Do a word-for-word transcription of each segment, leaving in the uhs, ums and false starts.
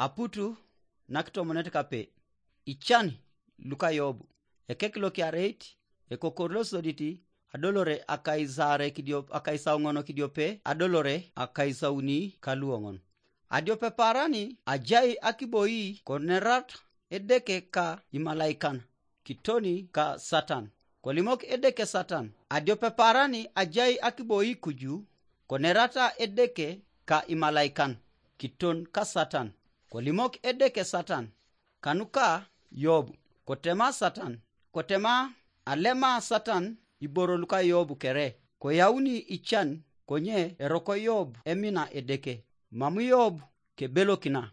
Aputu nakitomonet kape. Ican luka Yobu. Ekek lokiareit, ekokor losodit, adolore akaisaare kidiop, akaisauŋon kidiope, adolore akaisauni kaluoŋon. Adiope parani ajai akiboi konerat Edeke ka imalaikan, kitoni ka Satan. Kolimok Edeke Satan, adiope parani ajai akiboi kuju, konerata Edeke ka imalaikan, kiton ka Satan. Kolimok Edeke Satan, kanuka Yobu, kotema Satan, kotema alema Satan iboro luka Yobu kere, koyauni ican, konye eroko Yobu emina Edeke, mam Yobu kebelokina,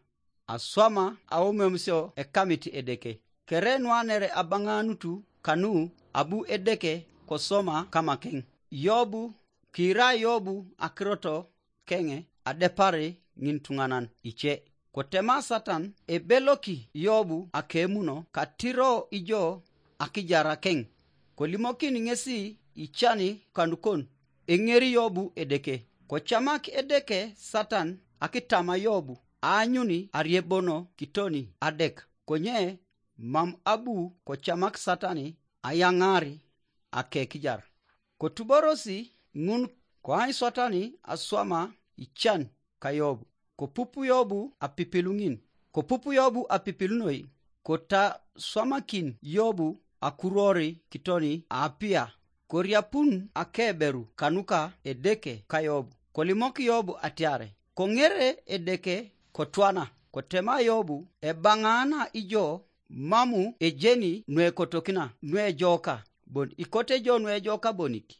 aswama aomemusio ekamit Edeke. Kere nuanere abaŋanutu kanu abu Edeke kosoma kamakeŋ. Yobu, kiira Yobu akiroto keŋe adepari ŋintuŋanan ice. Kotema Satan ebeloki Yobu akemuno katiro ijo akijarakeŋ. Kolimokin ŋesi icani kanukon, eŋeri Yobu Edeke. Kocamak Edeke Satan akitama Yobu, aanyuni ariebono kitoni adek. Konye mam abu kocamak Satani ayaŋaar akekijar. Kotuborosi ŋun koany Satani aswama ican ka Yobu. Kopupu Yobu apipilu ŋin. Kopupu Yobu apipilu noi, kotaswamakin Yobu akuruori kitoni aapia. Koriapun akeberu kanuka Edeke ka Yobu. Kolimok Yobu atiare, koŋere Edeke kotwana, kotema Yobu, ebaŋaana ijo mamu ejeni nuekotokina nuejoka bon, ikote jo nuejoka bonik.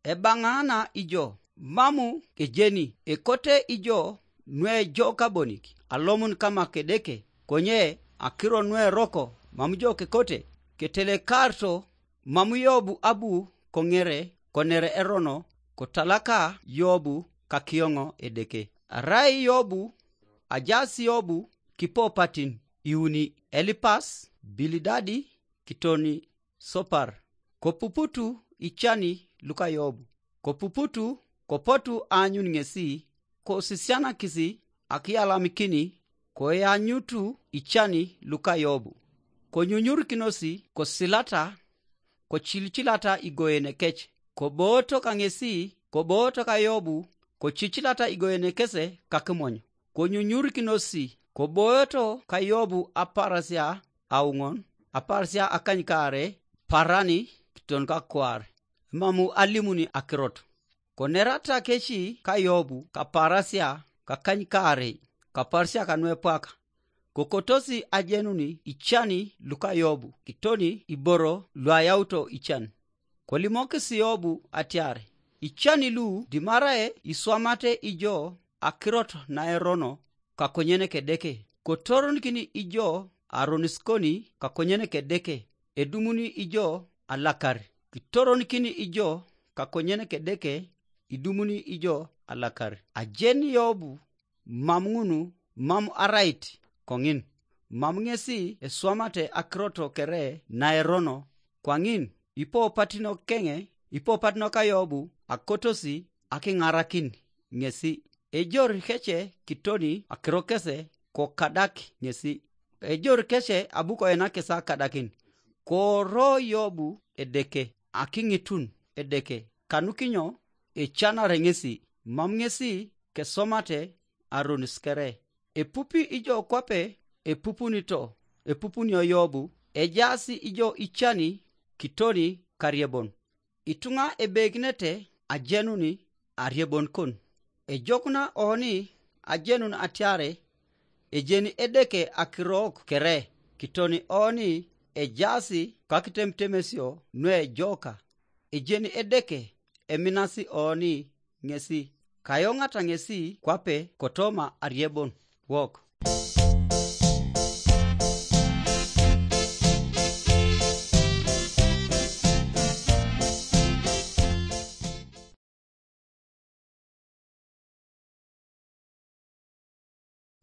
Ebaŋaana ijo mamu ejeni ekote ijo nuejoka bonik, alomun kama kedeke, konye akiro nueroko mam jo kekote, ketelekarto mam Yobu abu koŋere konere erono, kotalaka Yobu kakioŋo Edeke. Arai Yobu, ajaas Yobu kipopatin iuni, Elipas, Bilidadi, kitoni Sopar. Kopuputu icani luka Yobu. Kopuputu, kopotu aanyun ŋesi, kosisianakisi akiyalamikini, koyanyutu icani luka Yobu. Konyunyurikinosi kosilata, kocilicilata igoenekec, kobooto kaŋesi, kobooto ka Yobu, kocicilata igoenekese kakimonyo. Konyunyurikinosi, kobooto ka Yobu aparasia auŋon, aparasia akanykaare, parani kiton kakwaar, mamu alimuni akirot. Konerata keci ka Yobu kaparasia kakanykaarei, kaparasia kanuepwaka, kokotosi ajenuni icani luka Yobu kitoni iboro luayauto ican. Kolimokis Yobu atiar, icani lu dimarae iswamate ijo akirot naerono kakonyen kedeke, kotoronkin ijo aroniskoni kakonyen kedeke, edumuni ijo alakar, kitoronikin ijo kakonyen kedeke, idumuni ijo alakar. Ajen Yobu mam ŋunu, mam arait koŋin, mam ŋesi eswamate akirot kere naerono, kwaŋin ipopatino keŋe, ipopatino ka Yobu akotosi akiŋarakin ŋesi. Ejor kece kitoni akiro kese kokadak ŋesi. Ejor kece abu koenakis akadakin. Koro Yobu Edeke, akiŋitun Edeke, kanukinyo ecanare ŋesi, mam ŋesi kesomate aronis kere. Epupi ijo kwape epupunito, epupunio Yobu, ejaasi ijo icani kitoni kariebon. Ituŋa ebekinete ajenuni ariebon kon. Ejokuna oni ajenun atiare ejeni Edeke akirok kere, kitoni oni ejaasi kakitemutemesio nuejoka. Ejeni Edeke eminasi oni ŋesi, kayoŋata ŋesi kwape kotoma ariebon wok.